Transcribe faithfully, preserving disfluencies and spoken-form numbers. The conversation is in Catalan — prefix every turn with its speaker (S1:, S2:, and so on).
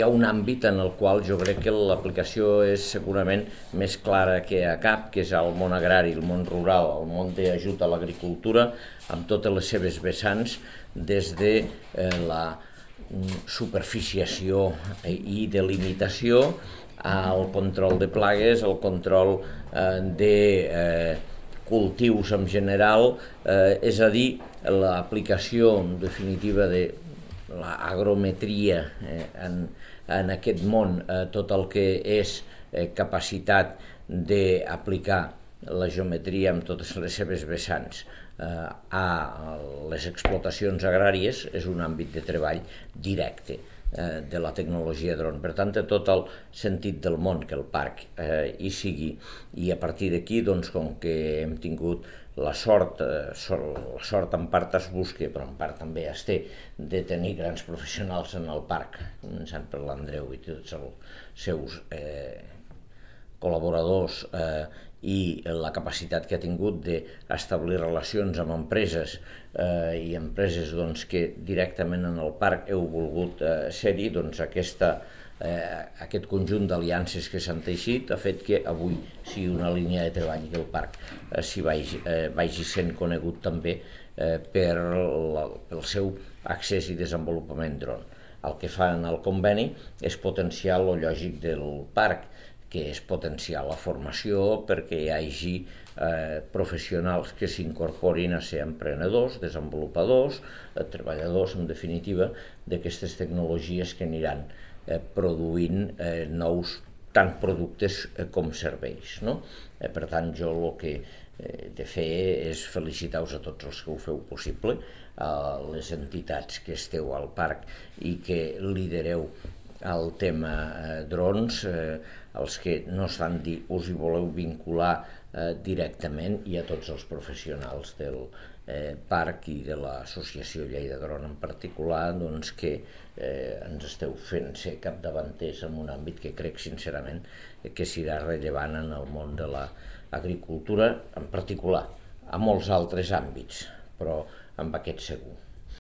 S1: hi ha un àmbit en el qual jo crec que l'aplicació és segurament més clara que a cap, que és el món agrari, el món rural, el món d'ajut a l'agricultura, amb totes les seves vessants, des de eh, la superficiació i delimitació al control de plagues, al control eh, de eh, cultius en general, eh, és a dir, l'aplicació en definitiva de l'agrometria eh, en, en aquest món, eh, tot el que és eh, capacitat d'aplicar la geometria amb totes les seves vessants eh, a les explotacions agràries és un àmbit de treball directe eh, de la tecnologia dron. Per tant, té tot el sentit del món que el parc eh, hi sigui. I a partir d'aquí, doncs, com que hem tingut la sort, eh, la sort en part es busca, però en part també es té, de tenir grans professionals en el parc, començant per l'Andreu i tots els seus eh, col·laboradors eh, i la capacitat que ha tingut d'establir relacions amb empreses eh, i empreses doncs, que directament en el parc heu volgut eh, ser-hi, doncs aquesta, eh, aquest conjunt d'aliances que s'han teixit ha fet que avui sigui una línia de treball que el parc eh, s'hi vagi, eh, vagi sent conegut també eh, per la, pel seu accés i desenvolupament dron. El que fa en el conveni és potenciar lo lògic del parc, que és potenciar la formació perquè hi hagi eh, professionals que s'incorporin a ser emprenedors, desenvolupadors, eh, treballadors, en definitiva, d'aquestes tecnologies que aniran eh, produint eh, nous tant productes eh, com serveis, no? Eh, per tant, jo el que he de fer és felicitar-vos a tots els que ho feu possible, a les entitats que esteu al parc i que lidereu el tema eh, drons, eh, els que no estan dir, us hi voleu vincular eh, directament, i a tots els professionals del eh, parc i de l'associació Lleida Dron en particular, doncs que eh, ens esteu fent ser capdavanters en un àmbit que crec sincerament que serà rellevant en el món de l'agricultura, en particular, a molts altres àmbits, però amb aquest segur.